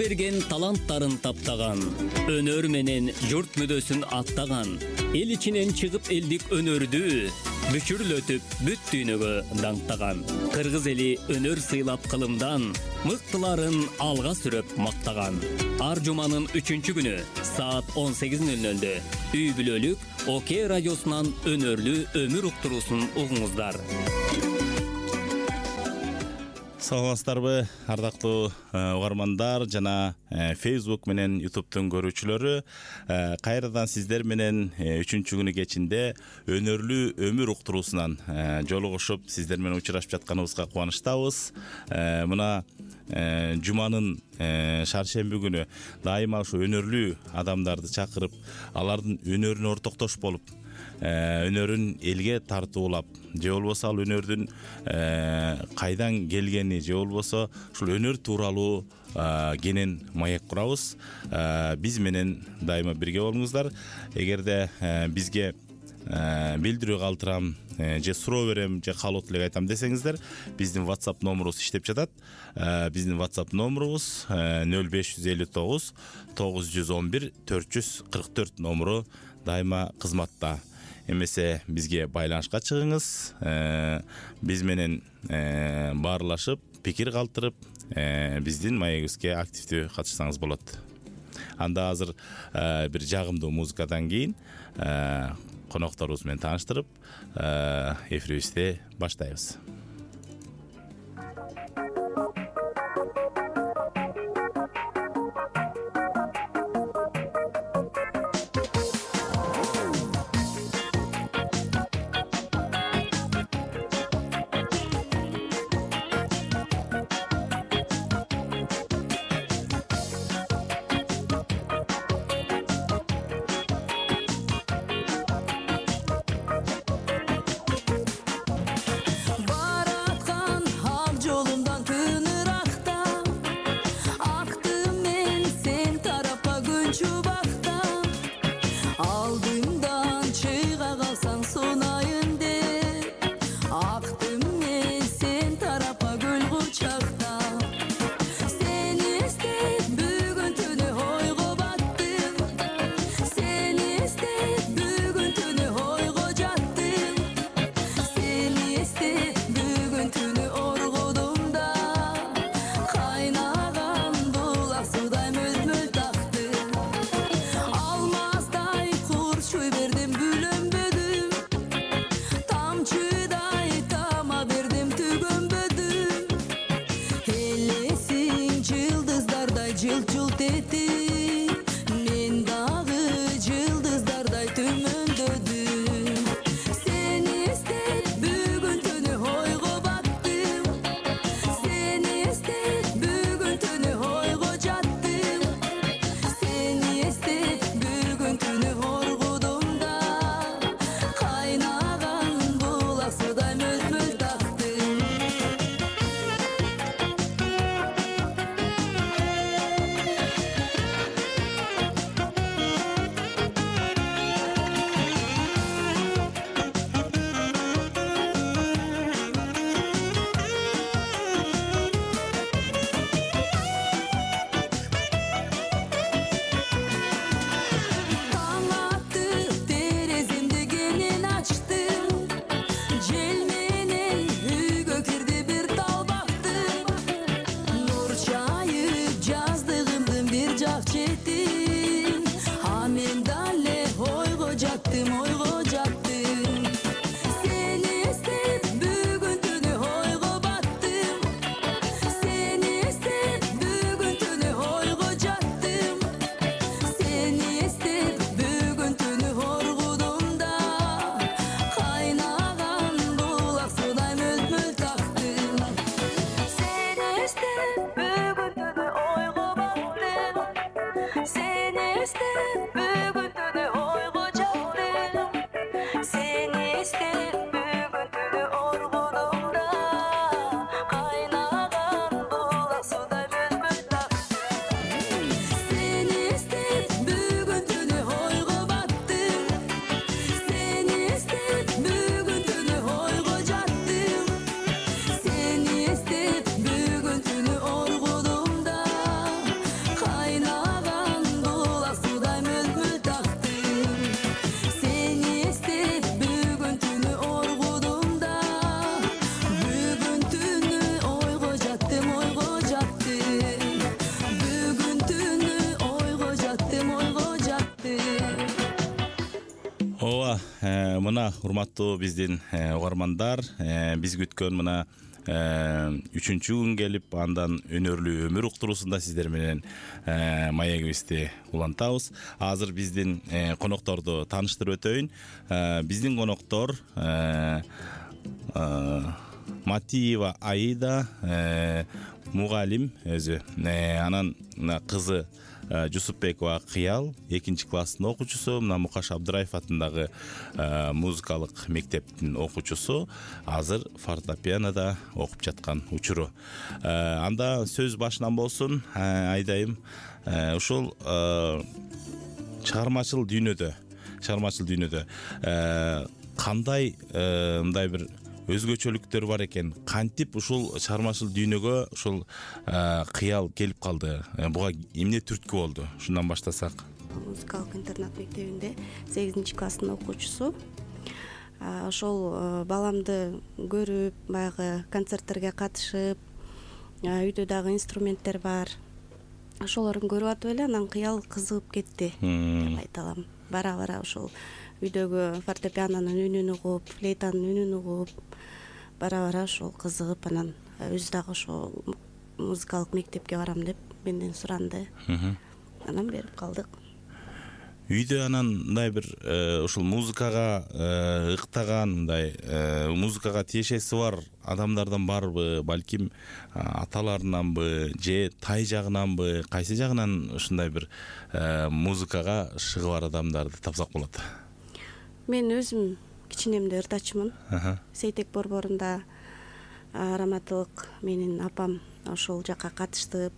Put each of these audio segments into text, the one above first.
берген таланттарын таптаган, өнөр менен журт мүдөсүн аттаган, эл ичинен чыгып элдик өнөрдү бүчүрлөтүп бүт дүйнөгө даңктаган. Кыргыз эли өнөр сыйлап кылымдан, мыктыларын алга сүрөп мактаган. Ар жуманын 3-күнү саат 18:00 үй бүлөлүк ОК радиосунан өнөрлүү өмүр уктуруусун угуңуздар. Саламатсыздарбы, ардактуу угармандар жана Facebook менен YouTube'тун көрүүчүлөрү. Кайрадан сиздер менен 3-күнү кечинде өнөрлүү өмүр уктуруусунан жолугушуп, сиздер менен учурашып жатканыбызга кубанычтабыз. Мына жуманын шаршемби күнү дайыма ушу өнөрлүү адамдарды чакырып, алардын өнөрүнө ортоктош болуп, өнөрүн элге тартуулап, же болбосо ал өнөрдүн кайдан келгени, же болбосо ушул өнөр тууралуу кенен маек курабыз. Биз менен дайыма бирге болуңуздар. Эгерде бизге билдирүү калтырам, же суроо берем, же каалоо тилек айтам десеңиздер, биздин WhatsApp номерубуз иштеп жатат. Биздин WhatsApp номерубуз 0559 911 444 номеру дайыма кызматта. Эмесе бизге байланышка чыгыңыз, биз менен баарлашып, пикир калтырып, биздин маегибизге активдүү катышсаңыз болот. Анда азыр бир жагымдуу музыкадан кийин конокторубуз менен тааныштырып, эфирибизди баштайбыз. Мына урматтуу биздин угармандар, биз күткөн мына 3-чү күн келип, андан өнөрлүү өмүр уктуруусунда сиздер менен маегибизди улантабыз. Азыр биздин конокторду тааныштырып өтөйүн. Биздин коноктор Матиева Аида, мугалим өзү. Анан кызы Жусупбекова Кыял, 2 класстын окуучусу, мына Мукаш Абдыраев атындагы музыкалык мектептин окуучусу, азыр фортепианода окуп жаткан учуру. Анда сөз башынан болсун, Айдайым. Ушул чыгармачыл дүйнөдө кандай мындай бир өзгөчөлүктөр бар экен? Кантип ушул чыгармачыл дүйнөгө ушул Кыял келип калды? Буга эмне түрткү болду? Шундан баштасак. Музыкалык интернат мектебинде 8-класстын окуучусу. Ошол баламды көрүп, баягы концерттерге катышып, үйдө дагы инструменттер бар. Ошолорун көрүп атып эле анан Кыял кызыгып кетти деп айта алам. Бара-бара ошол үйдөгү фортепианонун үнүн угуп, флейтанын үнүн угуп, бара-бара ошол кызыгып, анан өзү дагы ошол музыкалык мектепке барам деп менден суранды. Анан берип калдык. Үйдө анан мындай бир ушул музыкага ыктаган, мындай музыкага тиешеси бар адамдардан барбы, балким аталарынанбы, же тай жагынанбы, кайсы жагынан ушундай бир музыкага шыгы бар адамдарды тапсак болот? Мен өзүм кичинемде ырдачымын. Сейтек борборунда раматылык менин апам ошол жакка катыштып,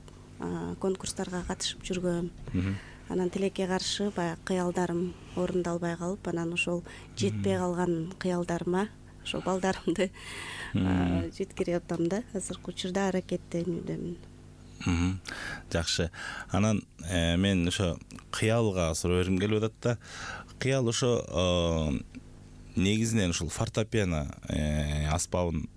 конкурстарга катышып жүргөм. Анан тилекке каршы баягы кыялдарым орундалбай калып, анан ошол жетпей калган кыялдарыма ошол балдарымды жеткирип атам да. Азыркы учурда аракеттенүүдөмүн. Жакшы. Анан мен ошо Кыялга суроо бергим келип атат да. Кыял ошо негизинен ушул фортепиано аспабын,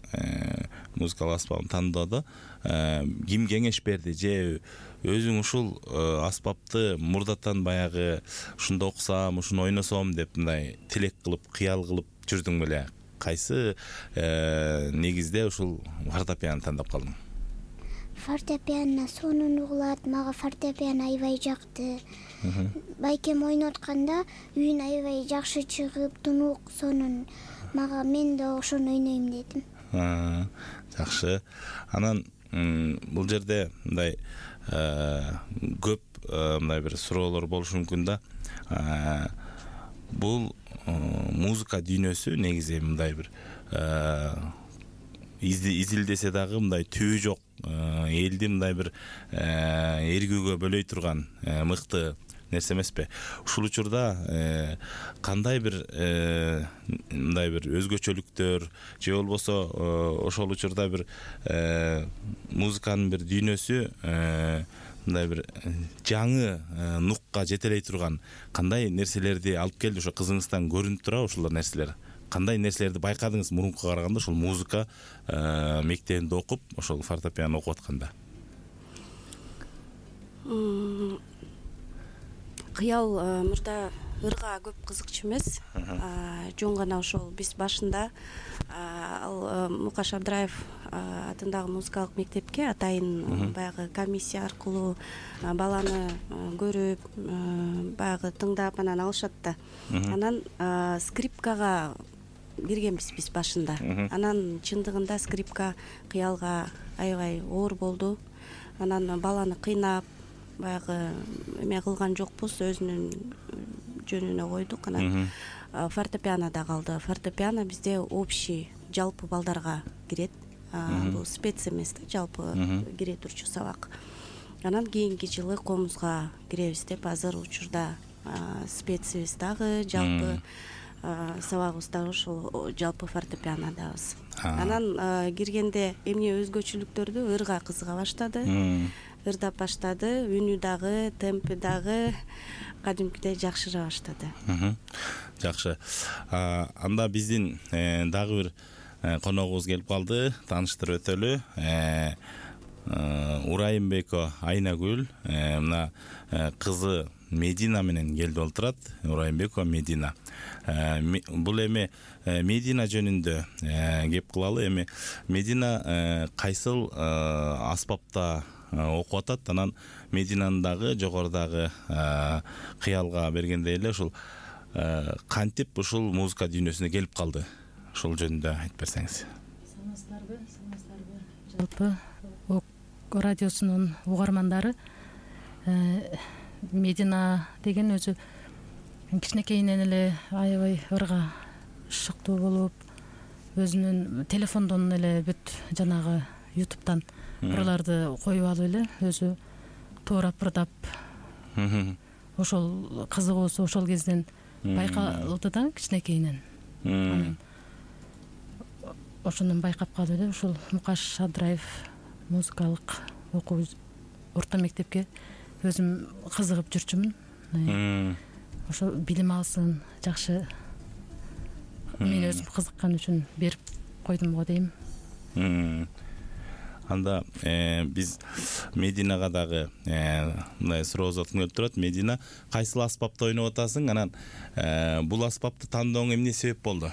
музыкалык аспабын тандоодо ким кеңеш берди, же өзүң ушул аспапты мурдатан баягы ушунда окусам, ушуну ойносом деп мындай тилек кылып, кыял кылып жүрдүң беле? Кайсы негизде ушул фортепиано тандап калдың? Фортепиано сонун угулат, мага фортепиано аябай жакты. Байкем ойноп атканда үйүн аябай жакшы чыгып, тунук, сонун. Мага мен да ошону ойнойм дедим. Жакшы. Анан бул жерде мындай көп мындай бир суроолор болушу мүмкүн да. Бул музыка дүйнөсү негизи мындай бир изилдесе дагы мындай түбү жок, элди мындай бир эргүүгө бөлөй турган мыкты нерсе эмеспи? Ушул учурда кандай бир мындай бир өзгөчөлүктөр, же болбосо ошол учурда бир музыканын бир дүйнөсү мындай бир жаңы нукка жетелей турган кандай нерселерди алып келди? Ошо кызыңыздан көрүнүп турабы ушул нерселер? Кандай нерселерди байкадыңыз мурункуга караганда ушул музыка мектебинде окуп, ошол фортепиано окуп атканда? Кыял мурда ырга көп кызыкчу эмес. Жөн гана ошол биз башында ал Мукаш Абдыраев атындагы музыкалык мектепке атайын баягы комиссия аркылуу баланы көрүп, баягы тыңдап анан алышат да. Анан скрипкага киргенбиз биз башында. Анан чындыгында скрипка Кыялга аябай оор болду. Анан баланы кыйнап, баягы эме кылган жокпуз, өзүнүн жөнүнө койдук. Анан фортепианода калды. Фортепиано бизде общий, жалпы балдарга кирет. Бул спец эмес да, жалпы кире турчу сабак. Анан кийинки жылы комузга киребиз деп, азыр учурда специбиз дагы, жалпы сабагыбыз дагы ошол жалпы фортепианодабыз. Анан киргенде эмне өзгөчөлүктөрдү ырга кызыга баштады. Ырдап баштады, үнү дагы, темпи дагы кадимкидей жакшыра баштады. Жакшы. Анда биздин дагы бир коногубуз келип калды, тааныштырып өтөлү. Урайымбеко Айнагүл, мына кызы Медина менен келди болуп турат. Урайымбекова Медина. Бул эми Медина жөнүндө кеп кылалы. Эми Медина кайсыл аспапта окуп атат? Анан Мединанын дагы жогорудагы кыялга бергенде эле ушул кантип ушул музыка дүйнөсүнө келип калды? Ушул жөнүндө айтып берсеңиз. Саламатсыздарбы? Жалпы радиосунун угармандары Медина деген өзү кичинекейинен эле аябай ырга шыктуу болуп, өзүнүн телефондон эле бүт жанагы YouTube'тан ырларды коюп алып эле өзү тоорап ырдап ошол кызыгуусу ошол кезден байкалды да кичинекейинен. Анан ошондон байкап калып эле ушул Мукаш Абдраев музыкалык окуу орто мектепке өзүм кызыгып жүрчүмүн. Ошо билим алсын, жакшы мен өзүм кызыккан үчүн берип койдум го дейм. Анда биз Мединага дагы мындай суроо заткым келип турат. Медина, кайсыл аспапта ойноп атасың? Анан бул аспапты тандооңо эмне себеп болду?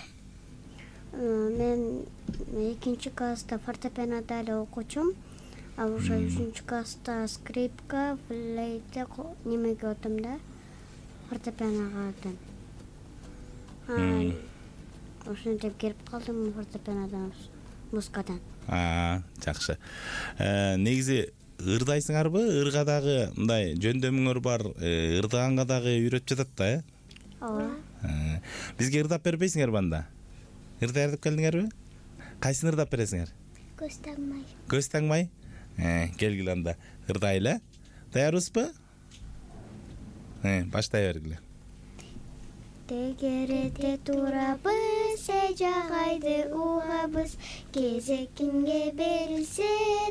Мен 2-класста фортепианода эле окучумун. А ошо 3-класста скрипка, флейта немеге отум да, фортепианога отум. Ошентип келип калдым фортепианодан, музыкадан. Жакшы. Негизи ырдайсыңарбы? Ырга дагы мындай жөндөмүңөр бар, ырдаганга дагы үйрөтүп жатат да, Ооба. Бизге ырдап бербейсиңерби анда? Ырдай ырдап келдиңерби? Кайсын ырдап бересиңер? Көз тагмай. Көз тагмай? Келгиле анда ырдайлы. Даярбызбы? Баштай бергиле. Тегереде турабыз, жагайды угабыз, кезек кимге берилсе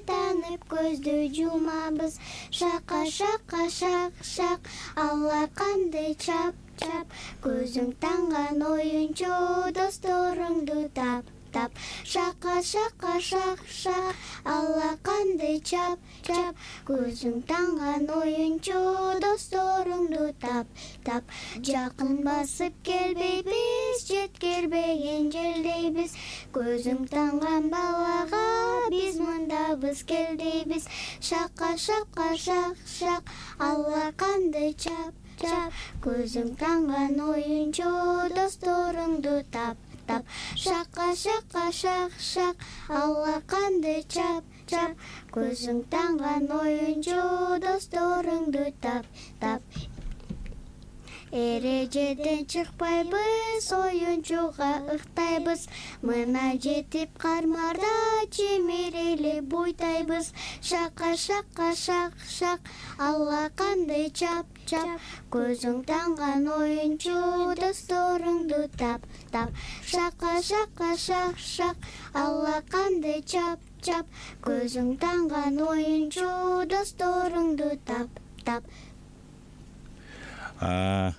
танып көздү жумабыз. Шака шака шак шак, алаканды чап чап, көзүң танган оюнчу досторуңду тап тап. Шака шака шак шак, алаканды чап чап, көзүң танган оюнчу досторуңду тап тап. Жакын басып келбейбиз, жеткирбеген жердейбиз, көзүң танган балага биз мындабыз келдейбиз. Шака шака шак шак, алаканды чап чап, көзүң танган оюнчу досторуңду тап тап. Шака шака шак шак, алаканды чап чап, көзүң танган оюнчу досторуңду тап тап. Эрежеден чыкпайбыз, оюнчуга ыктайбыз, мына жетип кармарда чимирели буйтайбыз. Шака шака шак шак, алаканды чап чап, көзүң танган оюнчу досторуңду тап тап. Шака шака шак шак, алаканды чап чап, көзүң танган оюнчу досторуңду тап тап.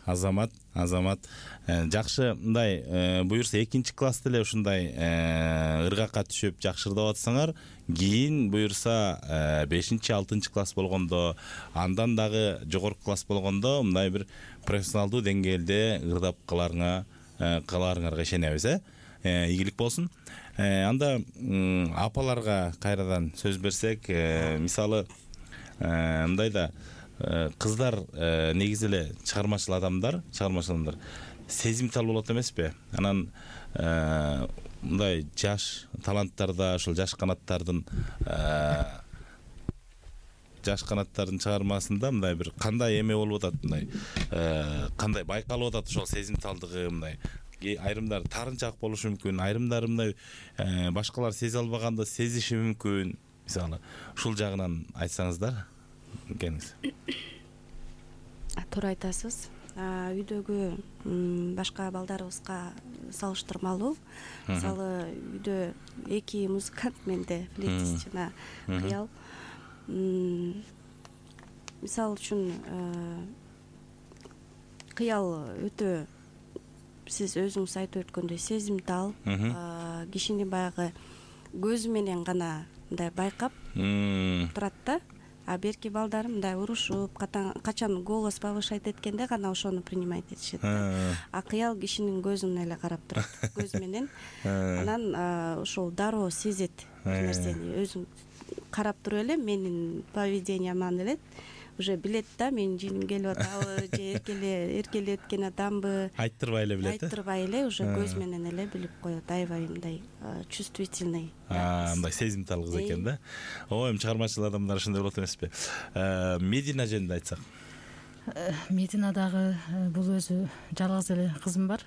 Азамат, жакшы, мындай буюрса 2-класста эле ушундай ыргакка түшүп жакшы ырдап атсаңар, кийин буюрса 5-6 класс болгондо, андан дагы жогорку класс болгондо мындай бир профессионалдуу деңгээлде ырдап каларыңарга ишенебиз, ийгилик болсун. Анда апаларга кайрадан сөз берсек, мисалы мындай да кыздар негизи эле чыгармачыл адамдар сезимтал болот эмеспи? Анан мындай жаш таланттарда, ошол жаш канаттардын чыгармасында мындай бир кандай эме болуп атат, мындай кандай байкалып атат ошол сезимталдыгы, мындай айрымдары тарынчаак болушу мүмкүн, айрымдары мындай башкалар сезе албаганды сезиши мүмкүн. Мисалы, ушул жагынан айтсаңыздар. Келиңиз. Туура айтасыз. Үйдөгү башка балдарыбызга салыштырмалуу. Мисалы, үйдө 2 музыкант, менде флейтист жана кыял. Мисалы үчүн кыял өтө, сиз өзүңүз айтып өткөндөй, сезимтал, кишини баягы көзү менен гана мындай байкап турат да. А берки балдар мындай урушуп качан голос повышать эткенде гана ошону принимать этишет да. А кыял кишинин көзүнө эле карап турат, көз менен. Анан ошол дароо сезет бир нерсени, өзүң карап туруп эле менин поведенияман эле уже билет да, менин жиynим келип атабы же эркелеп кеткен атамбы, айттырбай эле билет. Айттырбай эле уже көз менен эле билип коет. Аябай мындай чувствительный. Мындай сезимтал кыз экен да. Эми чыгармачыл адамдар ушундай болот эмеспи? Медина жөнүндө айтсак. Медина дагы бул өзү жалгыз эле кызым бар.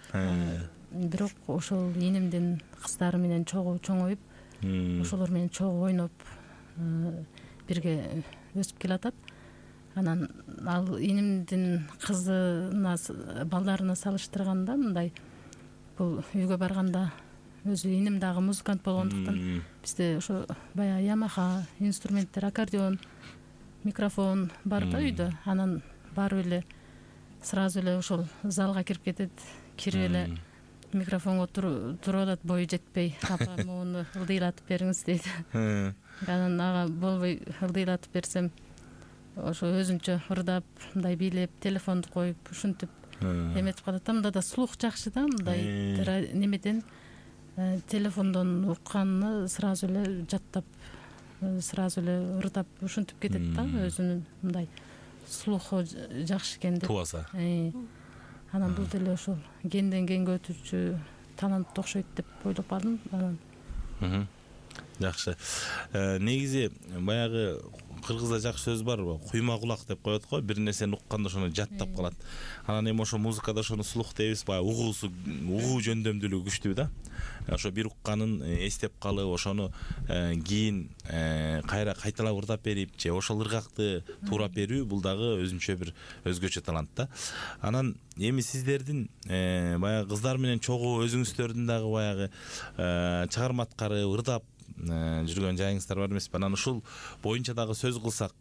Бирок ошол энемдин кыздары менен чоңоюп, ошолор менен чогуу ойноп бирге өсүп келатат. Анан ал энемдин кызына, балдарына салыштырганда мындай бул үйгө барганда өзү энем дагы музыкант болгондуктан бизде ошо баягы Ямаха инструменттер, аккордеон, микрофон бар да үйдө. Анан барып эле сразу эле ошол залга кирип кетет, кирип эле микрофонго туруп атат, бою жетпей, апа муну ылдыйлатып бериңиз дейт. Анан ага болбой ылдыйлатып берсем, ошо өзүнчө ырдап, мындай бийлеп, телефонду коюп, ушинтип эметип калат. Мында да слух жакшы да, мындай немеден телефондон укканны сразу эле жаттап, сразу эле ырдап, ушинтип кетет да, өзүнүн мындай слуху жакшы экен деп. Тубаса. Анан бул деле ошол кенден кенге өтүүчү талантты окшойт деп ойлоп калдым. Анан жакшы. Негизи баягы кыргызда жакшы сөз бар, куйма кулак деп коет го, бир нерсени укканда ошону жаттап калат. Анан эми ошо музыкада ошону слух дейбиз, баягы угуу жөндөмдүүлүгү күчтүү да. Ошо бир укканын эстеп калып, ошону кийин кайталап ырдап берип, же ошол ыргакты туурап берүү, бул дагы өзүнчө бир өзгөчө талант да. Анан эми сиздердин баягы кыздар менен чогуу өзүңүздөрдүн дагы баягы чыгарма аткарып, ырдап жүргөн жайыңыздар бар эмеспи? Анан ушул боюнча дагы сөз кылсак,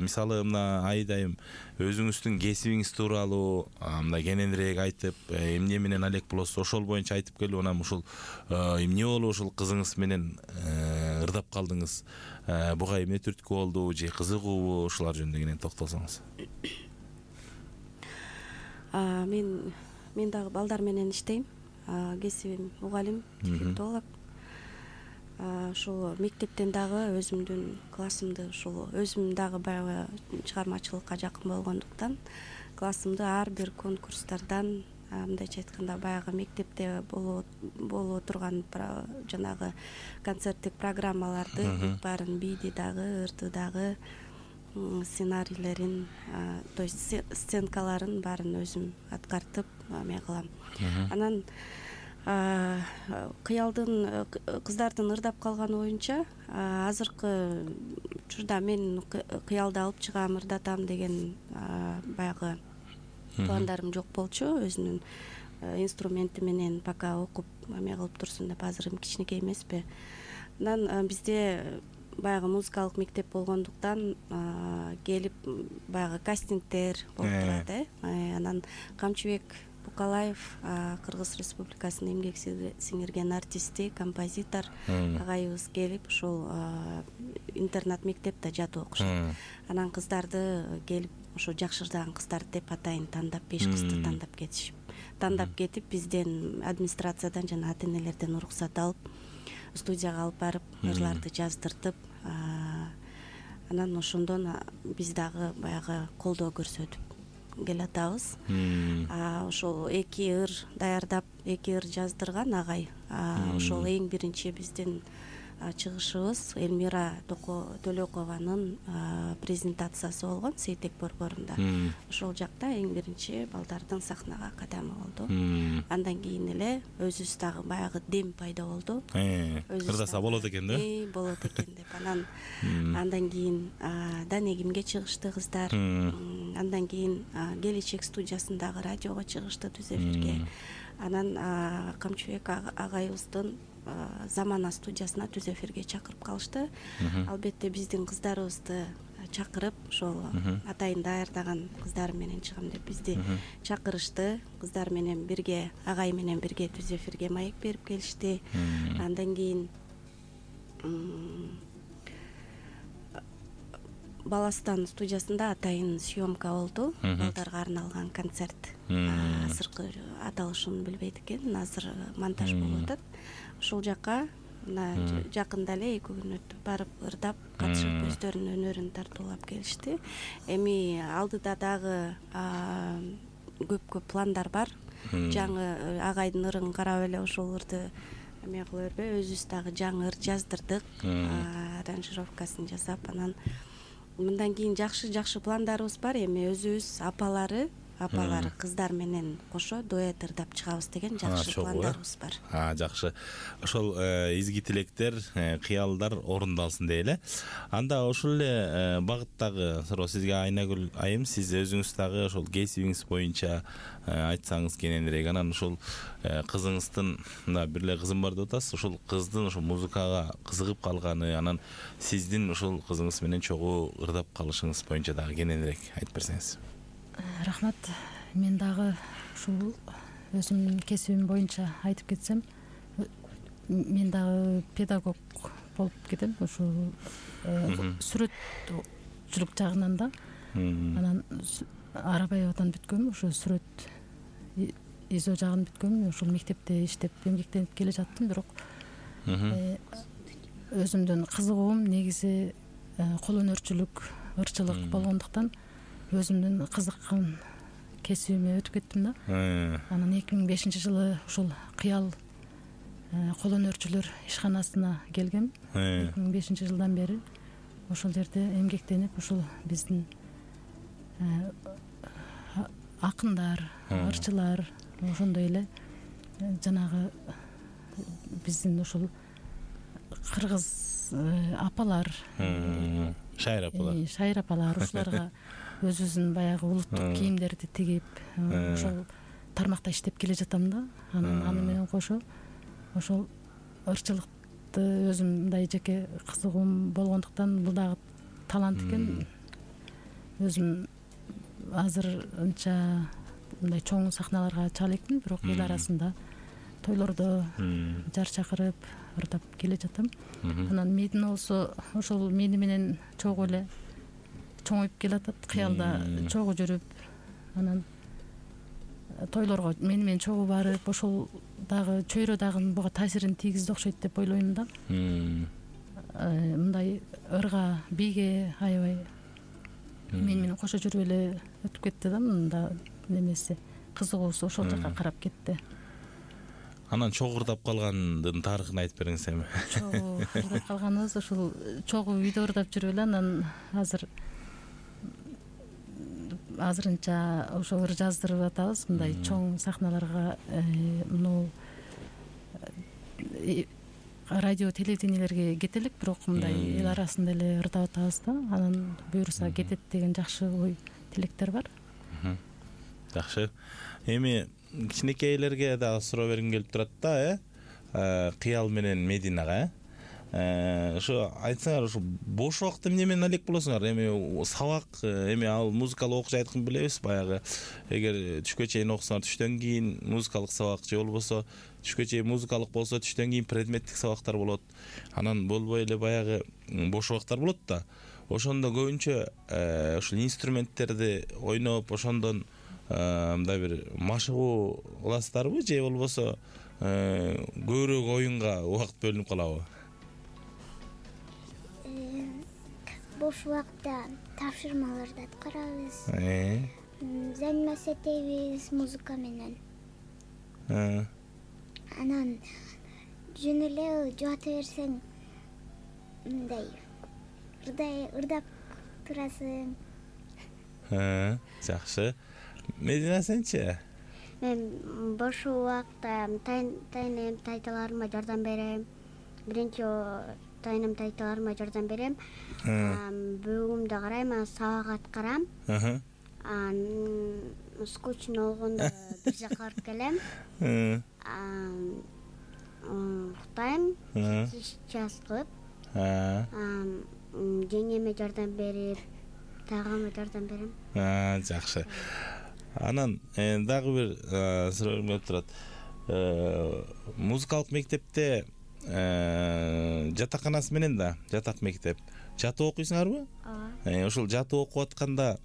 мисалы мына айдайым өзүңүздүн кесибиңиз тууралуу мындай кененирээк айтып, эмне менен алек болосуз, ошол боюнча айтып келип, анан ушул эмне болуп ушул кызыңыз менен ырдап калдыңыз, буга эмне түрткү болду, же кызыгуубу, ушулар жөнүндө кенен токтолсоңуз. Мен дагы балдар менен иштейм. Кесибим мугалим, дефектолог. Ошол мектептен дагы өзүмдүн классымды, ошол өзүм дагы баягы чыгармачылыкка жакын болгондуктан классымды ар бир конкурстардан, мындайча айтканда баягы мектепте болуп турган жанагы концерттик программаларды баарын бийди дагы, ырды дагы, сценарийлерин, то есть сценкаларын баарын өзүм аткартып эме кылам. Анан кыялдын кыздардын ырдап калганы боюнча азыркы учурда мен кыялды алып чыгам, ырдатам деген баягы пландарым жок болчу. Өзүнүн инструменти менен пока окуп эме кылып турсун деп, азыр кичинекей эмеспи. Анан бизде баягы музыкалык мектеп болгондуктан келип баягы кастингдер болуп турат. Анан Камчыбек Букалаев, Кыргыз Республикасынын эмгек сиңирген артисти, композитор агайыбыз келип, ошол интернат мектепте жатып окушат. Анан кыздарды келип, ошо жакшырдаган кыздар деп атайын тандап, 5 кызды тандап кетип, бизден администрациядан жана ата-энелерден уруксат алып, студияга алып барып, ырларды жаздыртып, анан ошондон биз дагы баягы колдоо көрсөтүп келатабыз. Ошол 2 ыр даярдап, 2 ыр жаздырган агай. Ошол эң биринчи биздин чыгышыбыз Элмира Төлөкованын презентациясы болгон Сейтек борборунда. Ошол жакта эң биринчи балдардын сахнага кадамы болду. Андан кийин эле өзүбүз дагы баягы дем пайда болду. Ырдаса болот экен да? Болот экен деп. Андан кийин Данегимге чыгышты кыздар. Андан кийин Келечек студиясындагы радиого чыгышты, түз эфирге. Анан Камчыбек агайыбыздын Замана студиясына түз эфирге чакырып калышты. Албетте биздин кыздарыбызды чакырып, ошол атайын даярдаган кыздар менен чыгам деп бизди чакырышты. Кыздар менен бирге, агай менен бирге түз эфирге маек берип келишти. Андан кийин Баластан студиясында атайын съемка болду. Балдарга арналган концерт. Азыркы аталышын билбейт экен. Азыр монтаж болуп атат. Ушул жакка жакында эле 2 күн өтүп барып ырдап катышып өздөрүнүн өнөрүн тартуулап келишти. Эми алдыда дагы көп пландар бар. Жаңы агайдын ырын карап эле ошол ырды эме кыла бербей, өзүбүз дагы жаңы ыр жаздырдык, аранжировкасын жасап, анан мындан кийин жакшы пландарыбыз бар. Эми өзүбүз апалары кыздар менен кошо дуэт ырдап чыгабыз деген жакшы пландарыбыз бар. Жакшы. Ошол изги тилектер, кыялдар орундалсын дейли. Анда ошол эле багыттагы суроо сизге Айнагүл айым, сиз өзүңүз дагы ошол кесибиңиз боюнча айтсаңыз кененирээк. Анан ошол кызыңыздын, мына бир эле кызым бар деп атасыз, ошол кыздын ошол музыкага кызыгып калганы, анан сиздин ошол кызыңыз менен чогуу ырдап калышыңыз боюнча дагы кененирээк айтып берсеңиз. Рахмат. Мен дагы ушул өзүмдүн кесибим боюнча айтып кетсем, мен дагы педагог болуп кетем. Ушул сүрөтчүлүк жагынан да. Анан Арабаевадан бүткөм, ошо сүрөт изо жагын бүткөм. Ошол мектепте иштеп эмгектенип келе жаттым, бирок өзүмдүн кызыгуум негизи кол өнөрчүлүк, ырчылык болгондуктан өзүмдүн кызыккан кесибиме өтүп кеттим да. Анан 2005-жылы ушул Кыял кол өнөрчүлөр ишканасына келгем. 2005-жылдан бери ошол жерде эмгектенип, ушул биздин акындар, ырчылар, ошондой эле жанагы биздин ушул кыргыз апалар, шайыр апалар ушуларга өзүбүздүн баягы улуттук кийимдерди тигип, ошол тармакта иштеп келе жатам да. Анан аны менен кошо ошол ырчылыкты өзүм мындай жеке кызыгуум болгондуктан бул дагы талант экен. Өзүм азыр анча мындай чоң сахналарга чыга элекмин, бирок эл арасында тойлордо жар чакырып ырдап келе жатам. Анан медин болсо ошол мени менен чогуу эле чоңоюп келатат. Кыялда чогуу жүрүп, анан тойлорго мени менен чогуу барып, ошол дагы чөйрө дагы буга таасирин тийгизди окшойт деп ойлойм да. Мындай ырга, бийге аябай мени менен кошо жүрүп эле өтүп кетти да. Мында немеси кызыгуусу ошол жака карап кетти. Анан чогуу ырдап калгандын тарыхын айтып бериңиз эми. Чогуу ырдап калганыбыз ушул чогуу үйдө ырдап жүрүп эле, анан азырынча ошо ыр жаздырып атабыз. Мындай чоң сахналарга, муну радио, телевидениелерге кетелик, бирок мындай эл арасында эле ырдап атабыз да. Анан буюрса кетет деген жакшы ой тилектер бар. Жакшы. Эми кичинекейлерге дагы суроо бергим келип турат да, Кыял менен Мединага. Ошо айтсаңар, ошо бош убакытта эмне менен алек болосуңар? Эми сабак, эми ал музыкалык окуу жайдыкын билебиз, баягы эгер түшкө чейин окусаңар, түштөн кийин музыкалык сабак, же болбосо түшкө чейин музыкалык болсо түштөн кийин предметтик сабактар болот. Анан болбой эле баягы бош убакыттар болот да. Ошондо көбүнчө ушул инструменттерди ойноп, ошондон мындай бир машыгуу кыласыздарбы, же болбосо көбүрөөк оюнга убакыт бөлүнүп калабы? Бош убакытта тапшырмаларды аткарабыз. Заниматься этебиз музыка менен. Анан жөн эле жата берсең, мындай ырдап турасың. Жакшы. Медина, сенчи? Мен бош убакытта тайнем, тайталарыма жардам берем. Биринчи тайнем, тайталарыма жардам берем. Бөгүмдө карайм, сабак аткарам. Скучно болгондо бир жака барып келем. Уктайм, час кылып. Жеңеме жардам берип, тагыма жардам берем. Жакшы. Анан дагы бир суроо келип турат. Музыкалык мектепте жатаканасы менен да, жатак мектеп. жатып окуйсуңарбы? ооба. Ошол жатып окуп атканда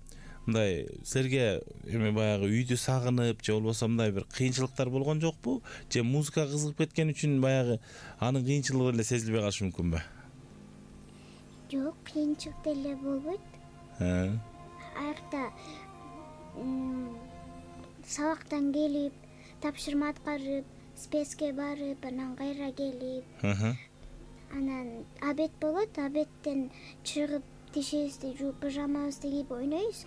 мындай силерге эме баягы үйдү сагынып же болбосо мындай бир кыйынчылыктар болгон жокпу? Же музыкага кызыгып кеткен үчүн баягы анын кыйынчылыгы деле сезилбей калышы мүмкүнбү? Жок, кыйынчылык деле болбойт. Аякта сабактан келип, тапшырма аткарып, спецке барып, анан кайра келип, анан обед болот, обедтен чыгып тишибизди жууп, пижамабызды кийип ойнойбуз.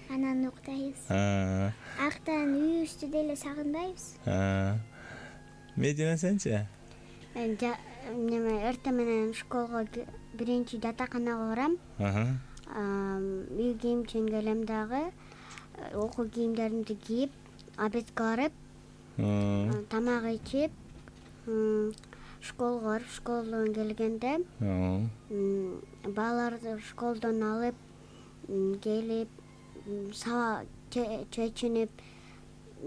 Анан уктайбыз. Аяктан үйүбүздү деле сагынбайбыз. Медина сенчи? Мен эртең менен школго биринчи жатаканага барам. Үй кийимчен келем дагы, окуу кийимдеримди кийип, обедке барып, тамак ичип, школго барып, школдон келгенде баларды школдон алып келип, сабак чечинип,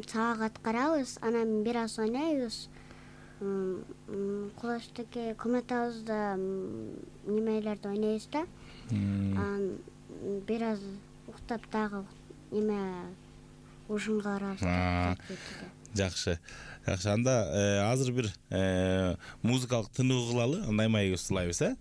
сабак аткарабыз, анан бир аз ойнойбуз. Кулачтагы комнатабызда немелерди ойнойбуз да. Анан бир аз уктап дагы ушунга барабыз. Жакшы. Анда азыр бир музыкалык тынуу кылалы, андай маек устулайбыз,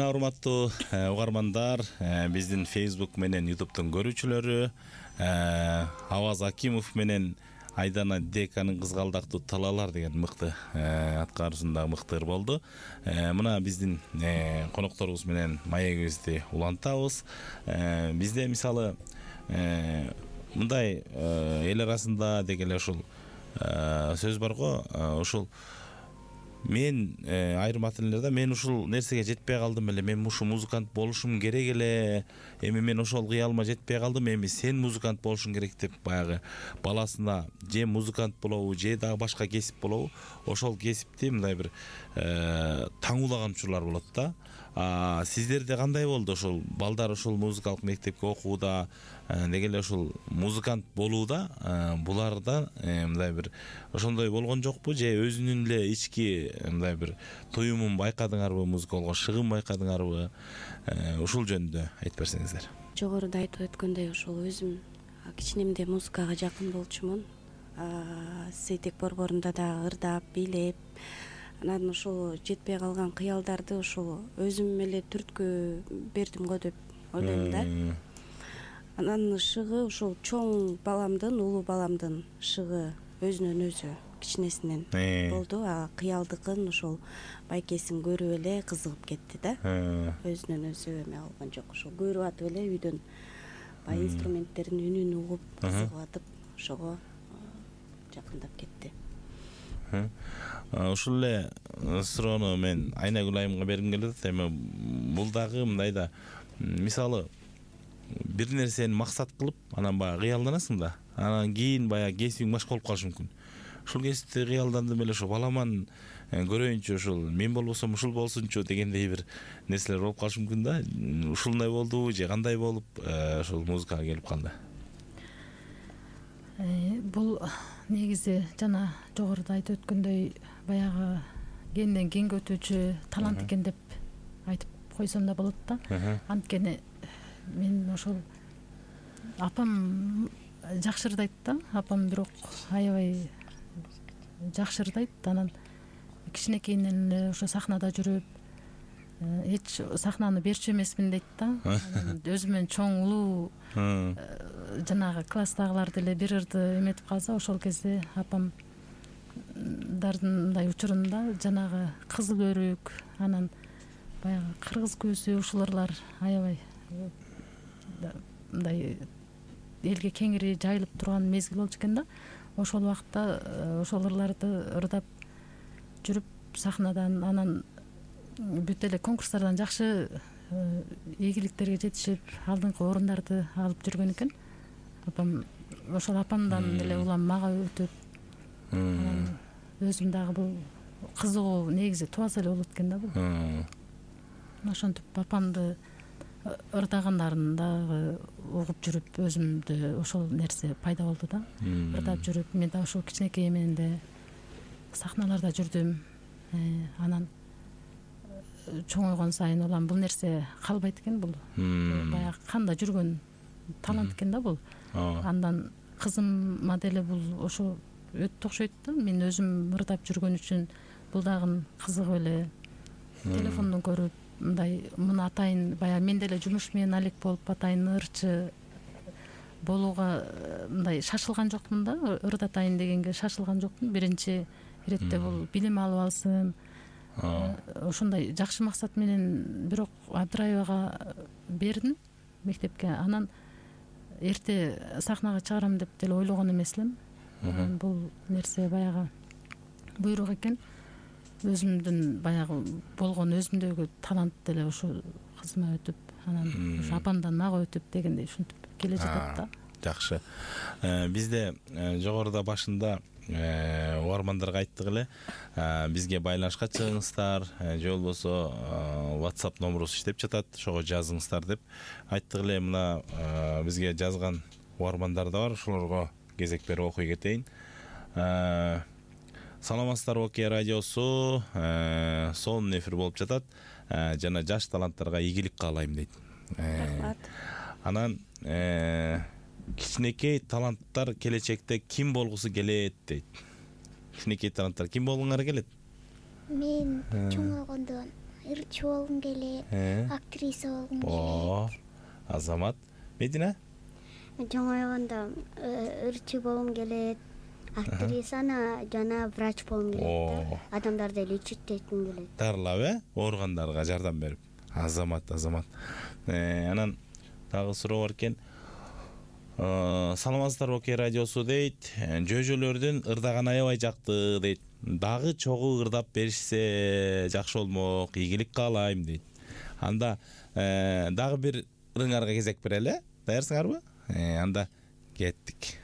Мына урматтуу угармандар, биздин Facebook менен YouTube'тун көрүүчүлөрү, Аваз Акимов менен Айдана Деканын кызгалдактуу талаалар деген мыкты аткаруусунда мыкты ыр болду. Мына биздин конокторубуз менен маегибизди улантабыз. Бизде мисалы мындай эл арасында деги эле ушул сөз бар го, ушул мен айрым ата-энелерде мен ушул нерсеге жетпей калдым эле, мен ушу музыкант болушум керек эле, эми мен ошол кыялыма жетпей калдым, эми сен музыкант болушуң керек деп баягы баласына же музыкант болобу, же дагы башка кесип болобу, ошол кесипти мындай бир таңуулаган учурлар болот да. Сиздерде кандай болду ошол балдар ошол музыкалык мектепке окууда, деги эле ушул музыкант болууда буларда мындай бир ошондой болгон жокпу, же өзүнүн эле ички мындай бир туюмун байкадыңарбы, музыкалга шыгым байкадыңарбы? Ушул жөнүндө айтып берсеңиздер. Жогоруда айтып өткөндөй, ошол өзүм кичинемде музыкага жакын болчумун. Сейтек борборунда да ырдап, бийлеп, анан ошол жетпей калган кыялдарды ошол өзүм эле түрткү бердим го деп ойлойм да. Анан шыгы ошол чоң баламдын, улуу баламдын шыгы өзүнөн өзү кичинесинен болду. Кыялдыкын ошол байкесин көрүп эле кызыгып кетти да. Өзүнөн өзү эме алган жок, ошол көрүп атып эле үйдөн баягы инструменттердин үнүн угуп кызыгып атып ошого жакындап кетти. Ушул эле суроону мен Айнагүл айымга бергим келип атат. Эми бул дагы мындай да, мисалы бир нерсени максат кылып, анан баягы кыялданасың да, анан кийин баягы кесибиң башка болуп калышы мүмкүн. Ушул кесипти кыялдандым эле, ошо баламан көрөйүнчү, ушул мен болбосом ушул болсунчу дегендей бир нерселер болуп калышы мүмкүн да. Ушундай болдубу же кандай болуп ушул музыкага келип калды? Бул негизи жана жогоруда айтып өткөндөй баягы кенден кенге өтүүчү талант экен деп айтып койсом да болот да. Анткени мен ошол апам жакшы ырдайт да, апам бирок аябай жакшы ырдайт. Анан кичинекейинен эле ошо сахнада жүрүп, эч сахнаны берчү эмесмин дейт да. Өзү менен чоң улуу жанагы класстагыларды эле бир ырды эметип калса, ошол кезде апамдардын мындай учурунда жанагы кызыл өрүк, анан баягы кыргыз көзү, ушул ырлар аябай мындай элге кеңири жайылып турган мезгил болчу экен да. Ошол убакта ошол ырларды ырдап жүрүп сахнадан, анан бүт эле конкурстардан жакшы ийгиликтерге жетишип, алдыңкы орундарды алып жүргөн экен. Апам ошол апамдан эле улам мага өтүп, анан өзүм дагы бул кызыгуу негизи тубаса эле болот экен да бул. Ошентип апамды ырдагандарын дагы угуп жүрүп, өзүмдө ошол нерсе пайда болду да. Ырдап жүрүп, мен да ошол кичинекей менен эле сахналарда жүрдүм. Анан чоңойгон сайын улам бул нерсе калбайт экен, бул баягы канда жүргөн талант экен да бул. Андан кызымма деле бул ошо өтө окшойт да. Мен өзүм ырдап жүргөн үчүн бул дагы кызыгып эле телефондон көрүп, мындай муну атайын, баягы мен деле жумуш менен алек болуп атайын ырчы болууга мындай шашылган жокмун да. Ырдатайын дегенге шашылган жокмун. Биринчи иретте бул билим алып алсын, ошондой жакшы максат менен бирок Абдраевага бердим мектепке. Анан эрте сахнага чыгарам деп деле ойлогон эмес элем. Бул нерсе баягы буйрук экен. Өзүмдүн баягы болгон өзүмдөгү талант деле ошо кызыма өтүп, анан ошо апамдан мага өтүп дегендей ушинтип келе жатат да. Жакшы. Бизде жогоруда башында угармандарга айттык эле, бизге байланышка чыгыңыздар, же болбосо WhatsApp номерубуз иштеп жатат, ошого жазыңыздар деп айттык эле. Мына бизге жазган угармандар да бар, ошолорго кезек берип окуй кетейин. Саламатсыздарбы, Окей радиосу, сонун эфир болуп жатат. Жана жаш таланттарга ийгилик каалайм дейт. Рахмат. Анан кичинекей таланттар келечекте ким болгусу келет дейт. Кичинекей таланттар ким болгоңар келет? Мен чоңойгондо ырчы болгум келет, актриса болгум келет. О, Азамат. Медина? Чоңойгондо ырчы болгум келет, актрисаны жана врач болгум келет. Адамдарды лечиттетким келет. Дарылап, ооругандарга жардам берип. Азамат. Анан дагы суроо бар экен. Саламатсыздарбы Окей радиосу дейт. Жөжөлөрдүн ырдаганы аябай жакты дейт. Дагы чогуу ырдап беришсе жакшы болмок. Ийгилик каалайм дейт. Анда дагы бир ырыңарга кезек берели. Даярсыңарбы? Анда кеттик.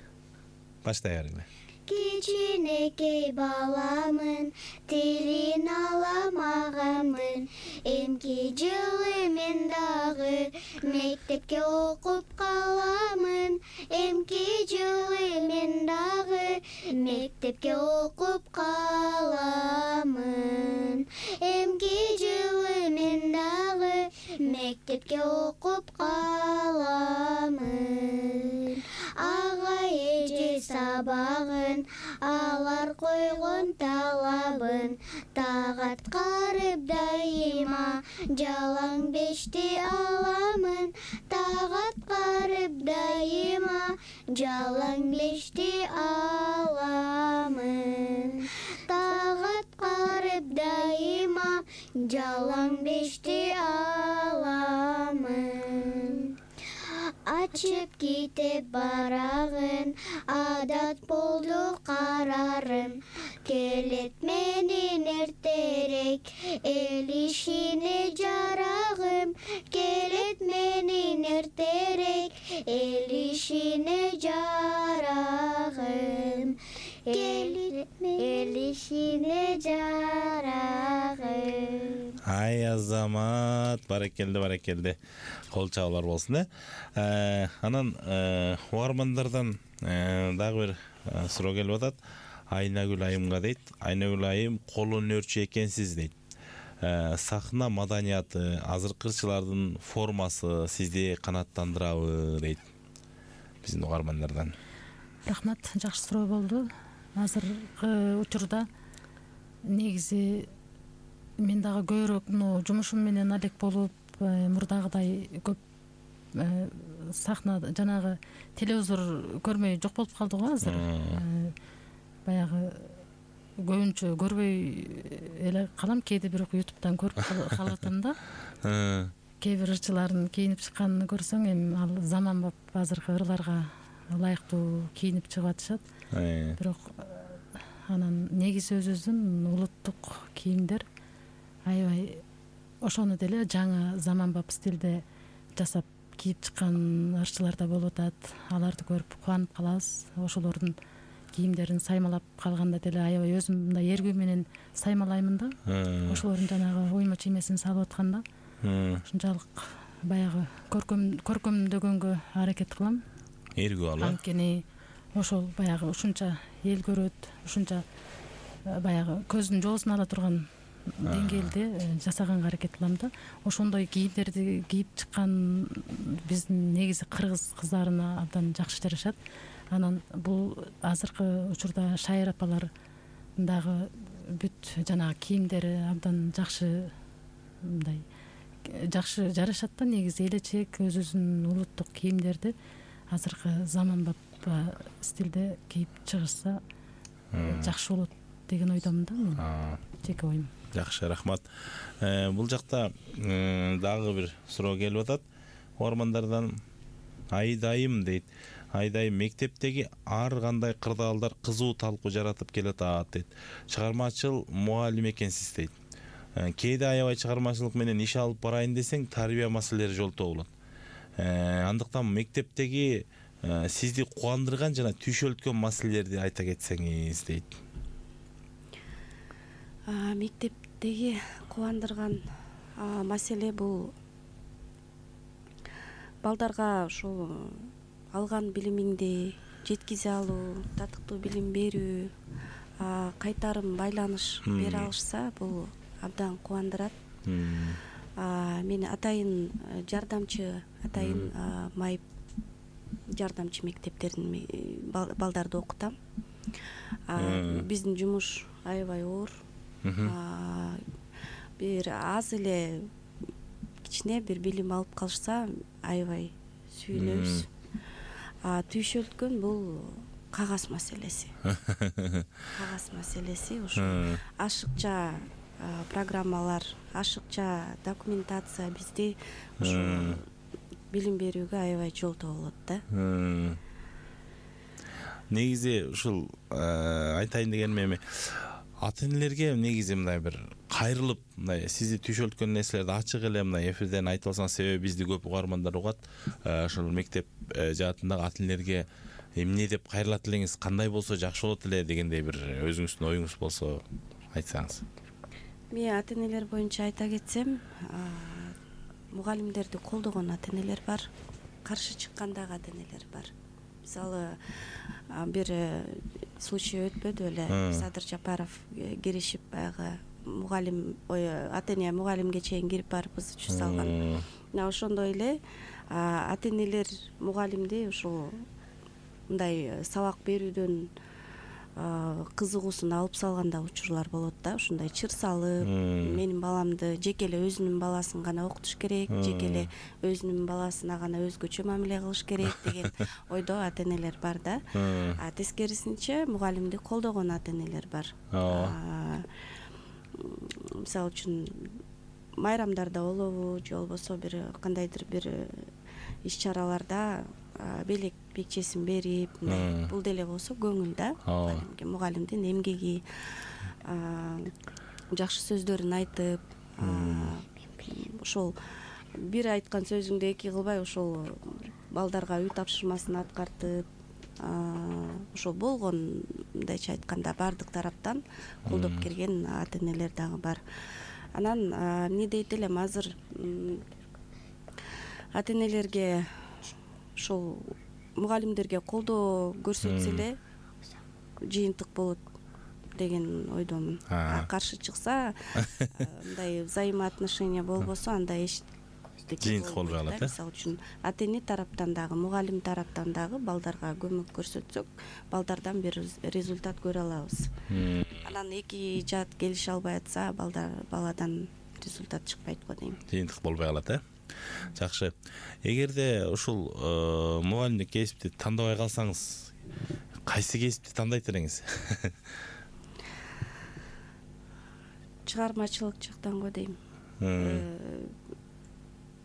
Баштай берели. Кичинекей баламын, тилин аламаганмын. Эмки жылы мен дагы мектепке окуп каламын. Эмки жылы мен дагы мектепке окуп каламын. Эмки жылы мен дагы мектепке окуп каламын. Ага эже сабагын алар койгон талабын, тагат карып дайыма жалаң бешти аламын. Тагат карып дайыма жалаң бешти аламын. Тагат карып дайыма жалаң бешти аламын. Ачып китеп барагын, адат болду карарым. Келет менин эртерээк, эл ишине жарагым. Келет менин эртерээк, эл ишине жарагым. Келет эл ишине жарагым. Ай Азамат, баракелде. Кол чабуулар болсун, Анан угармандардан дагы бир суроо келип атат. Айнагүл айымга дейт. Айнагүл айым кол өнөрчү экенсиз дейт. Сахна маданияты, азыркы ырчылардын формасы сизди канааттандырабы дейт. Биздин угармандардан. Рахмат, жакшы суроо болду. Азыркы учурда негизи мен дагы көбүрөөк жумушум менен алек болуп, мурдагыдай көп сахна жанагы телевизор көрмөй жок болуп калды го азыр. Баягы көбүнчө көрбөй эле калам, кээде бирок ютубтан көрүп калып атам да. Кээ бир ырчылардын кийинип чыкканын көрсөң, эми ал заманбап азыркы ырларга ылайыктуу кийинип чыгып атышат. Бирок анан негизи өзүбүздүн улуттук кийимдер аябай ошону деле жаңы заманбап стилде жасап кийип чыккан ырчылар да болуп атат. Аларды көрүп кубанып калабыз. Ошолордун кийимдерин саймалап калганда деле аябай өзүм мындай эргүү менен саймалаймын да. Ошолордун жанагы уйма чиймесин салып атканда ушунчалык баягы көркөмдөгөнгө аракет кылам. Эргүү алып. Анткени ошол баягы ушунча эл көрөт, ушунча баягы көздүн жоосун ала турган деңгээлде жасаганга аракет кылам да. Ошондой кийимдерди кийип чыккан биздин негизи кыргыз кыздарына абдан жакшы жарашат. Анан бул азыркы учурда шайыр апалар дагы бүт жанагы кийимдери абдан жакшы, мындай жакшы жарашат да. Негизи элечек өзүбүздүн улуттук кийимдерди азыркы заманбап стилде кийип чыгышса жакшы болот деген ойдомун да мен. Жеке оюм. Жакшы, рахмат. Бул жакта дагы бир суроо келип атат. Угармандардан Айдайым дейт. Айдайым мектептеги ар кандай кырдаалдар кызуу талкуу жаратып келатат дейт. Чыгармачыл мугалим экенсиз дейт. Кээде аябай чыгармачылык менен иш алып барайын десең, тарбия маселелери жолтоо болот. Андыктан мектептеги сизди кубандырган жана түйшөлткөн маселелерди айта кетсеңиз дейт. Мектептеги кубандырган маселе бул балдарга ушул алган билимиңди жеткизе алуу, татыктуу билим берүү, кайтарым байланыш бере алышса, бул абдан кубандырат. Мен атайын жардамчы, атайын майып жардамчы мектептердин балдарды окутам. Биздин жумуш аябай оор. бир аз эле кичине бир билим алып калышса аябай сүйүнөбүз. Түйшөлткөн бул кагаз маселеси. Кагаз маселеси ушул ашыкча программалар, ашыкча документация бизди ушу билим берүүгө аябай жолтоо болот да. Негизи ушул айтайын дегеним эми ата энелерге негизи мындай бир кайрылып, мындай сизди түйшөлткөн нерселерди ачык эле мындай эфирден айтып алсаңыз, себеби бизди көп угармандар угат. Ошол мектеп жаатындагы ата энелерге эмне деп кайрылат элеңиз, кандай болсо жакшы болот эле дегендей бир өзүңүздүн оюңуз болсо айтсаңыз. Мен ата энелер боюнча айта кетсем, мугалимдерди колдогон ата энелер бар, каршы чыккан дагы ата энелер бар. Мисалы, бир случай өтпөдү беле, Садыр Жапаров киришип баягы мугалим, ата эне мугалимге чейин кирип барып ызы салган. Ошондой эле ата энелер мугалимди ушул мындай сабак берүүдөн кызыгуусун алып салган да учурлар болот да. Ушундай чыр салып, менин баламды жеке эле өзүнүн баласын гана окутуш керек, жеке эле өзүнүн баласына гана өзгөчө мамиле кылыш керек деген ойдо ата энелер бар да. Тескерисинче мугалимди колдогон ата энелер бар. Мисалы үчүн майрамдарда болобу, же болбосо бир кандайдыр бир иш-чараларда белек бекчесин берип, бул деле болсо көңүл да. Мугалимдин эмгеги, жакшы сөздөрүн айтып, ошол бир айткан сөзүңдү эки кылбай ошол балдарга үй тапшырмасын аткартып, ошол болгон, мындайча айтканда, бардык тараптан колдоп келген ата энелер дагы бар. Анан эмне дейт элем, азыр ата энелерге ошол мугалимдерге колдоо көрсөтсө эле жыйынтык болот деген ойдомун. Каршы чыкса, мындай взаимоотношения болбосо, анда жыйынтык болбой калат. Мисалы үчүн ата эне тараптан дагы, мугалим тараптан дагы балдарга көмөк көрсөтсөк, балдардан бир результат көрө алабыз. Анан эки жаат келише албай атса, баладан результат чыкпайт го дейм. Жыйынтык болбой калат, Жакшы. Эгерде ушул мугалимдик кесипти тандабай калсаңыз, кайсы кесипти тандайт элеңиз? Чыгармачылык жактан го дейм.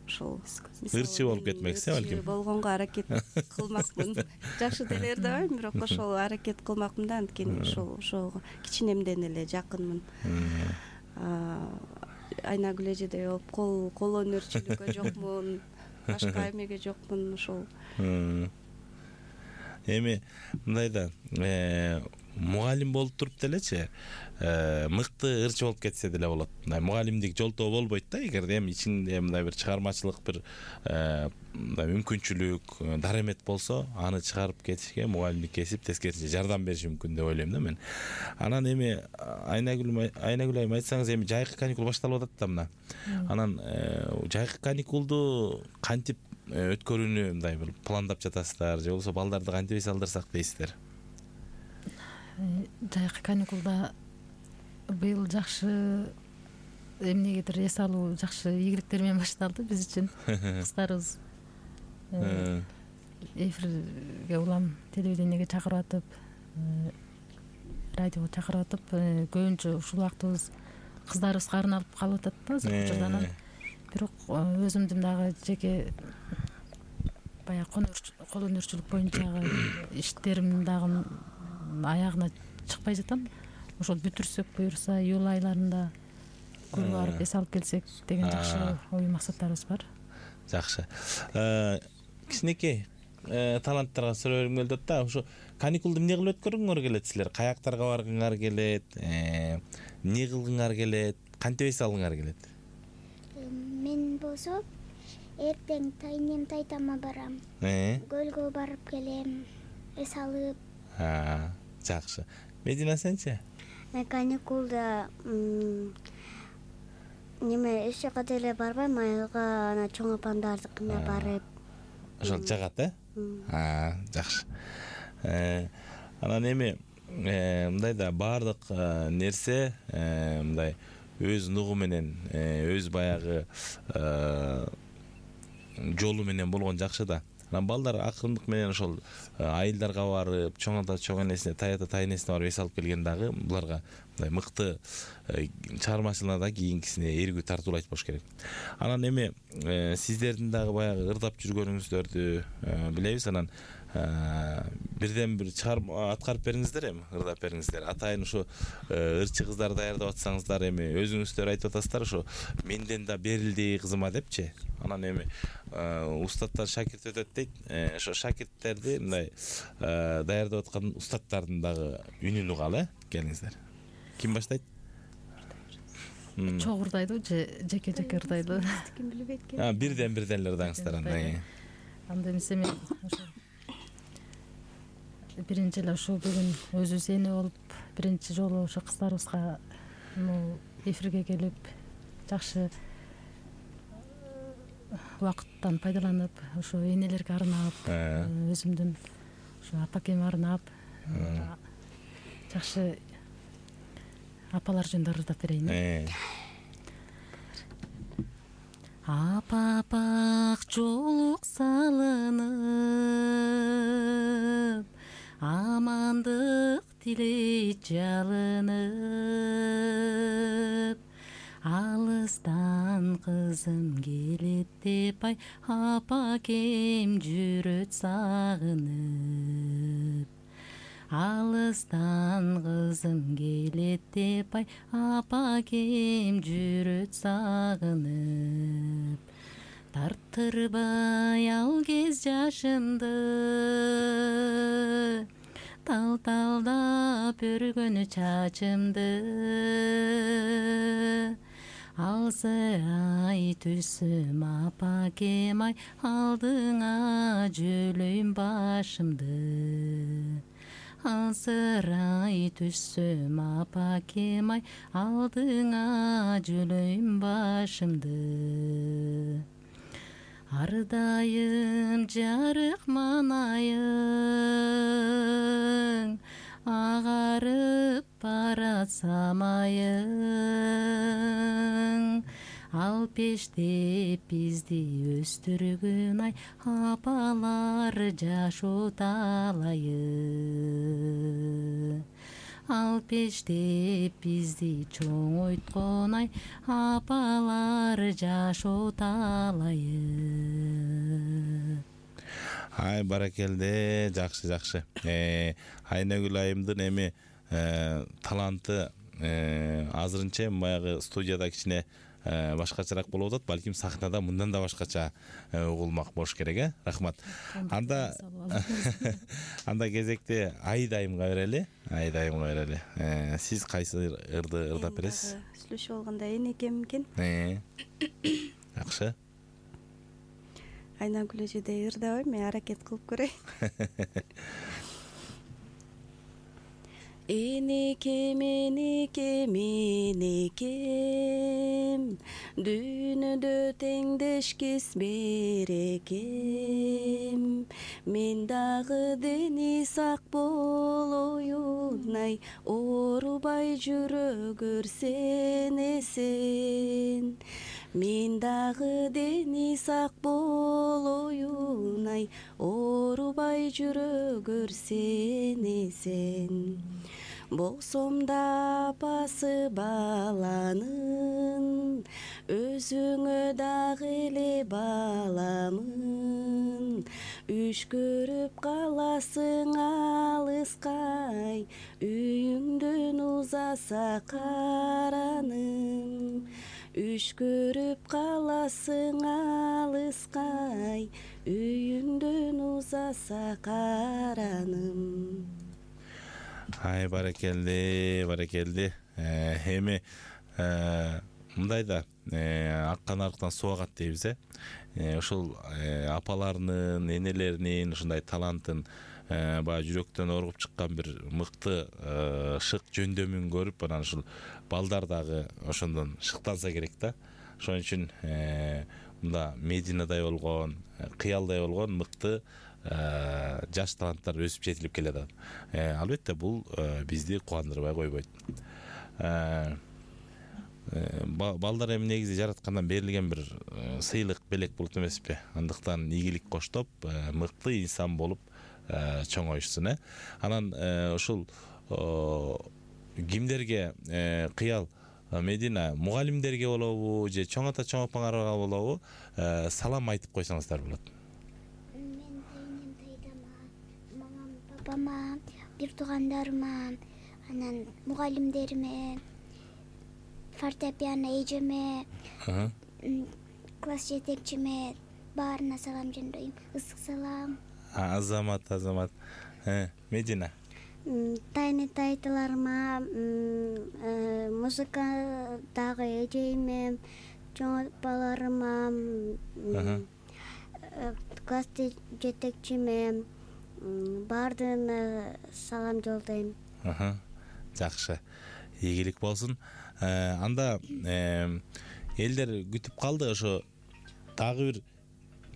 Ошол ырчы болуп кетмексиз, балким. Болгонго аракет кылмакмын. Жакшы деле ырдабайм, бирок ошол аракет кылмакмын да, анткени ошол кичинемден эле жакынмын. Айнагүл эжедей болуп кол өнөрчүлүккө жокмун, башка эмеге жокмун ошол. Эми мындай да, мугалим болуп туруп делечи, мыкты ырчы болуп кетсе деле болот. Мындай мугалимдик жолтоо болбойт да, эгерде эми ичинде мындай бир чыгармачылык бир мындай мүмкүнчүлүк, даремет болсо, аны чыгарып кетишке мугалимдик кесип тескерисинче жардам бериши мүмкүн деп ойлойм да мен. Анан эми Айнагүл айым айтсаңыз, эми жайкы каникул башталып атат да мына. Анан жайкы каникулду кантип өткөрүүнү мындай бир пландап жатасыздар, же болбосо балдарды кантип эс алдырсак дейсиздер? Жайкы каникулда быйыл жакшы эмнегедир эс алуу жакшы ийгиликтер менен башталды биз үчүн. Кыздарыбыз эфирге улам телевидениеге чакырып атып, радиого чакырып атып, көбүнчө ушул убактыбыз кыздарыбызга арналып калып атат да азыркы учурда. Бирок өзүмдүн дагы жеке баягы кол өнөрчүлүк боюнчагы иштерим дагы аягына чыкпай жатам. Ошол бүтүрсөк буюрса, июль айларында көрүп барып эс алып келсек деген жакшы ой максаттарыбыз бар. Жакшы. Кичинекей таланттарга суроо бергим келип атат да. Ошо каникулду эмне кылып өткөргүңөр келет силер? Каяктарга баргыңар келет? Эмне кылгыңар келет? Кантип эс алгыңар келет? Мен болсо эртең тайнем тайтама барам. Көлгө барып келем, эс алып. Жакшы. Медина сенчи? Мен каникулда неме эч жака деле барбайм, айылга ана чоң апамдардыкына барып. Ошол жагат, жакшы. Анан эми мындай да баардык нерсе мындай өз нугу менен өз баягы жолу менен болгон жакшы да. Анан балдар акырындык менен ошол айылдарга барып, чоң ата чоң энесине, тай ата тай энесине барып эс алып келген дагы буларга мындай мыкты чыгармачылыгына да кийинкисине эргүү тартуулайт болуш керек. Анан эми сиздердин дагы баягы ырдап жүргөнүңүздөрдү билебиз. Анан бирден бир чыгарма аткарып бериңиздер, эми ырдап бериңиздер. Атайын ушу ырчы кыздар даярдап атсаңыздар, эми өзүңүздөр айтып атасыздар ушу менден да берилди кызыма депчи. Анан эми устаттан шакирт өтөт дейт. Ошо шакирттерди мындай даярдап аткан устаттардын дагы үнүн угалы, келиңиздер. Ким баштайт? Чогуу ырдайдыбы же жеке-жеке ырдайдыбы? Ким билбейт экен. Бирден эле ырдаңыздар анда. Анда эмесе мен ошо биринчи эле ушул бүгүн өзүбүз эне болуп биринчи жолу ошо кыздарыбызга эфирге келип жакшы убакыттан пайдаланып, ошо энелерге арнап, өзүмдүн ошо апакеме арнап жакшы апалар жөнүндө ырдап берейин. Апапак жолук салынып, амандык тилейт жалынып, алыстан кызым келет деп ай, апакем жүрөт сагынып. Алыстан кызым келет деп ай, апакем жүрөт сагынып. Тартырбай ал кез жашымды, тал-талдап өргөнү чачымды. Алсырай түссөм апакем ай, алдыңа жөлөйм башымды. Алсырай түссөм апакем ай, алдыңа жөлөйм башымды. Ардайым жарык манайың, агарып барат самайың. Ал пештеп бизди өстүргөн ай, апалар жашоо талайы. Ал пештеп бизди чоңойткон ай, апалар жашоо талайы. Ай, баракелде, жакшы. Айнагүл айымдын эми таланты азырынча баягы студияда кичине башкачараак болуп атат. Балким сахнада мындан да башкача угулмак болуш керек, Рахмат. Анда кезекте Айдайымга берели. Сиз кайсы ырды ырдап бересиз? Сүйлөшүп алганда энекем экен. Жакшы. Айнагүл эжедей ырдабайм, мен аракет кылып көрөйүн. Энекем, дүйнөдө теңдешкис берекем. Мен дагы дени сак болоюн ай, оорубай жүрө көрсен эсен. Мен дагы дени сак болоюн ай, оорубай жүрө көрсен эсен. Болсом да апасы баланын, өзүңө дагы эле баламын. Үш көрүп каласың алыскай, үйүңдөн узаса караным. Үш көрүп каласың алыскай, үйүңдөн узаса караным. Ай, баракелде. Эми мындай да аккан арыктан суу агат дейбиз, ошол апаларынын, энелеринин ушундай талантын баягы жүрөктөн оргуп чыккан бир мыкты шык жөндөмүн көрүп, анан ушул балдар дагы ошондон шыктанса керек да. Ошон үчүн мында Мединадай болгон, Кыялдай болгон мыкты жаш таланттар өсүп жетилип келет. Албетте бул бизди кубандырбай койбойт. балдар эми негизи жараткандан берилген бир сыйлык белек болот эмеспи? Андыктан ийгилик коштоп мыкты инсан болуп чоңоюшсун. Анан ушул кимдерге кыял Медина, мугалимдерге болобу же чоң ата чоң апаңарга болобу салам айтып койсоңуздар болот. Мен айнем тайдама, мамам, папама, бир туугандарыма, анан мугалимдериме, фортепиано эжеме, класс жетекчиме баарына салам жолдойм. Ысык салам. Азамат. Медина. Тайны тайтыларыма, музыкадагы эжеме, чоң апаларыма, класс жетекчиме баардыгына салам жолдойм. Жакшы. Ийгилик болсун. Анда элдер күтүп калды, ошо дагы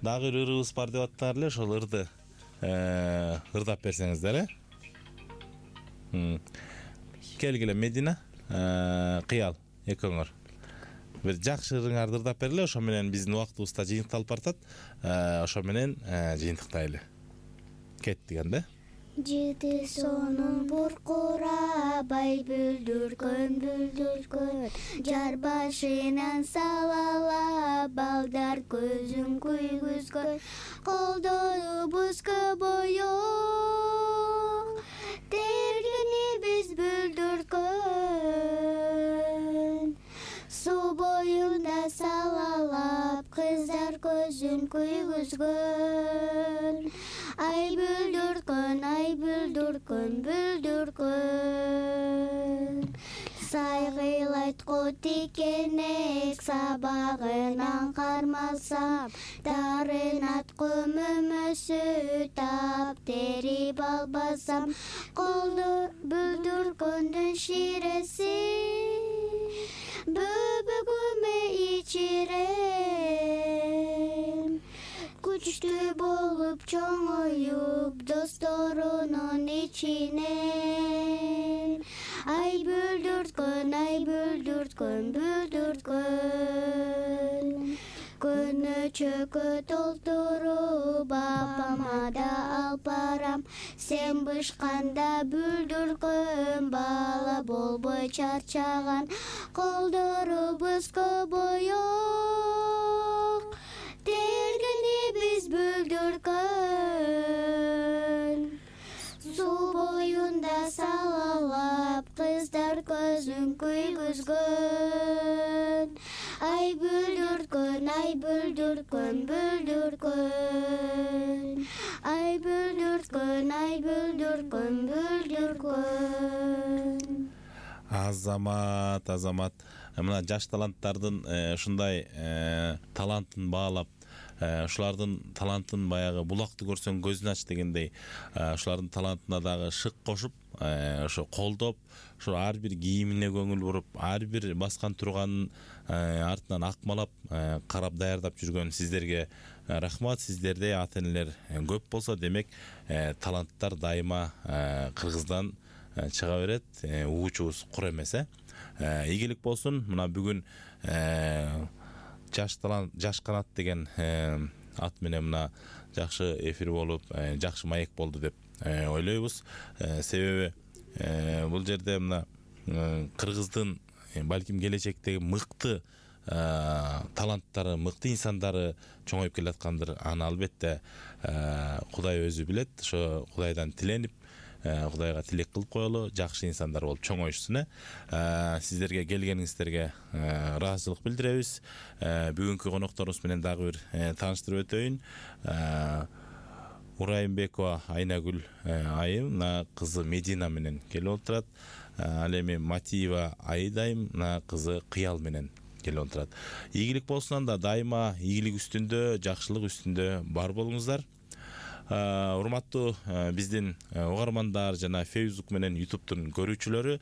бир ырыбыз бар деп аттыңар эле, ошол ырды ырдап берсеңиздер, Келгиле Медина, кыял экөөңөр. Бир жакшы ырыңарды ырдап бергиле, ошо менен биздин убактыбыз да жыйынтыкталып баратат. Ошо менен жыйынтыктайлы. Кеттик анда. Жыты сонун буркурабай бүлдүркөн, жар башынан салала балдар көзүн күйгүзгөн, колдорубуз көбөйөк, тергени биз бүлдүркөн, суу боюнда салалап кыздар көзүн күйгүзгөн. Ай бүлдүркөн, сайгыйлайт котикенек, сабагынан кармасам, дарынат көмөмөсү тап терип албасам, колду бүлдүркөндүн ширеси бөбөгүмө ичирем. Күчтүү болуп чоңоюп досторунун ичинен, ай бүлдүркөн, көнө чөкө толтуруп апама да алып барам, сен бышканда бүлдүркөн, бала болбой чарчаган, колдорубуз көбөйөк, тергени биз бүлдүркөн, суу боюнда салалап кыздар көзүн күйгүзгөн. Ай бүлдүркөн, ай бүлдүркөн, Азамат. Мына жаш таланттардын ушундай талантын баалап, ушулардын талантын баягы булакты көрсөң көзүн ач дегендей, ушулардын талантына дагы шык кошуп, ошо колдоп, ошо ар бир кийимине көңүл буруп, ар бир баскан турганын артынан акмалап, карап даярдап жүргөн сиздерге рахмат. Сиздердей ата энелер көп болсо, демек таланттар дайыма Кыргыздан чыга берет, угуучубуз кур эмес. Ийгилик болсун. Мына бүгүн жаш канат деген ат менен мына жакшы эфир болуп, жакшы маек болду деп ойлойбуз. Себеби бул жерде мына Кыргыздын балким келечектеги мыкты таланттары, мыкты инсандары чоңоюп келаткандыр. Аны албетте Кудай өзү билет. Ошо Кудайдан тиленип, Кудайга тилек кылып коелу, жакшы инсандар болуп чоңоюшсун. Сиздерге келгениңиздерге ыраазычылык билдиребиз. Бүгүнкү конокторубуз менен дагы бир тааныштырып өтөйүн. Урайымбекова Айнагүл айым, кызы Медина менен келип отурат. Ал эми Матиева Айдайым, кызы Кыял менен келип отурат. Ийгилик болсун. Анда дайыма ийгилик үстүндө, жакшылык үстүндө бар болуңуздар. урматтуу биздин угармандар жана Facebook менен YouTube'тун көрүүчүлөрү,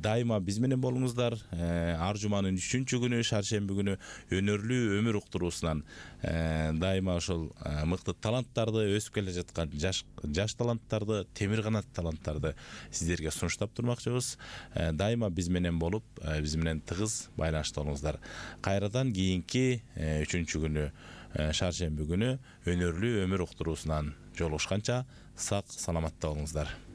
дайыма биз менен болуңуздар. Ар жуманын 3-күнү, шаршемби күнү өнөрлүү өмүр уктуруусунан дайыма ошол мыкты таланттарды, өсүп келе жаткан жаш таланттарды, темир канат таланттарды сиздерге сунуштап турмакчыбыз. Дайыма биз менен болуп, биз менен тыгыз байланышта болуңуздар. Кайрадан кийинки 3-күнү, шаршемби күнү өнөрлүү өмүр уктуруусунан жолугушканча сак саламатта болуңуздар.